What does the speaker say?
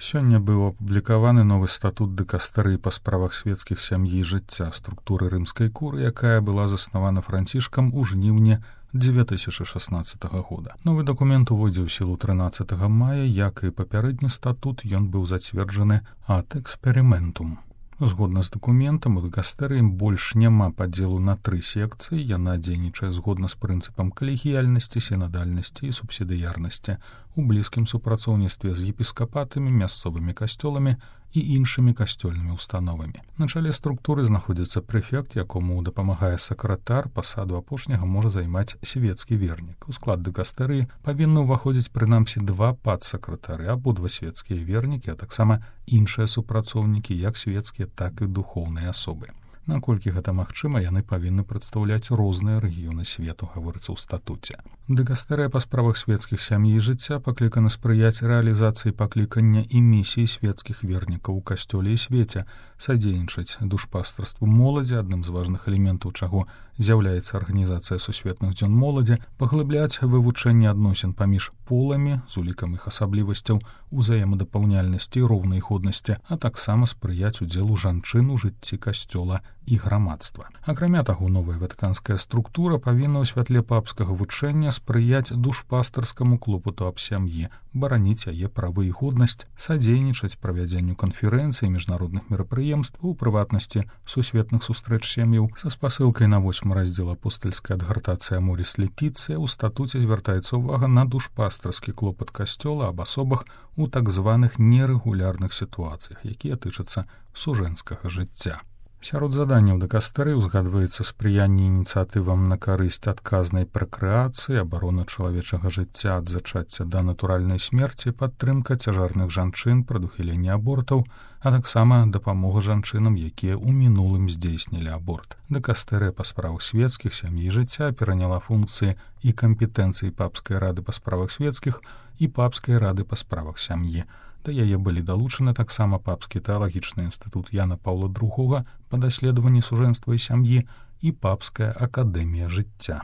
Сёння быў апублікаваны новы статут дыкастэрыі па справах свецкіх сям'і і жыцця структуры рымскай куры, якая была заснавана Францішкам у жніўні 2016 года. Новы дакумент увойдзе ў сілу 13 мая, як і папярэдні статут, ён быў зацверджаны ад эксперыментум. Згодна з дакументам, у дыкастэрыі больш няма падзелу на 3 секцыі, яна дзейнічае згодна з прынцыпам калегіяльнасці, сінадальнасці і субсідыярнасці у блізкім супрацоўніцтве з епіскапатамі, мясцовымі касцёламі і іншымі касцёльнымі установамі. На чале структуры знаходзіцца прэфект, якому дапамагае сакратар, пасаду апошняга можа займаць свецкі вернік. У склад дыкастэрыі павінны ўваходзіць прынамсі 2 падсакратары, абодва свецкія вернікі, а таксама іншыя супрацоўнікі, як свецкія, так і духоўныя асобы. Наколькі гэта магчыма, яны павінны прадстаўляць розныя рэгіёны свету, гаворыцца ў статуце. Дыкастэрыя па справах свецкіх сям'і і жыцця паклікана спрыяць рэалізацыі паклікання і місіі свецкіх вернікаў у касцёле і свеце, садзейнічаць душпастарству моладзі, адным з важных элементаў чаго з'яўляецца арганізацыя сусветных дзён моладзі, паглыбляць вывучэнне адносін паміж поламі з улікам іх асаблівасцяў, узаемадапаўняльнасці і роўнай годнасці, а таксама спрыяць удзелу жанчын у жыцці касцёла і грамадства. Акрамя таго, новая ватыканская структура павінна ў святле папскага вучэння спрыяць душпастарскаму клопату аб сям'і, бараніць яе правы і годнасць, садзейнічаць правядзенню канферэнцый і міжнародных мерапрыемстваў, у прыватнасці сусветных сустрэч сям'яў. Са спасылкай на 8 раздзел апостальская адгартацыя Моріс Летіцыя ў статуце звяртаецца ўвага на душпастарскі клопат касцёла аб асобах у так званых нерэгулярных сітуацыях, якія тычацца сужэнскага жыцця. Сярод заданняў дыкастэрыі узгадваецца спрыянне ініцыятывам на карысць адказнай пракрэацыі, абарона чалавечага жыцця ад зачацця да натуральнай смерці, падтрымка цяжарных жанчын, прадухіленне абортаў, а таксама дапамога жанчынам, якія ў мінулым здзейснілі аборт. Дыкастэрыя па справах свецкіх сям'і і жыцця пераняла функцыі і кампетэнцыі папскай рады па справах свецкіх і папскай рады па справах сям'і. Да яе былі далучаны таксама папскі тэалагічны інстытут Яна Паўла II па даследаванні сужэнства і сям'і і папская акадэмія жыцця.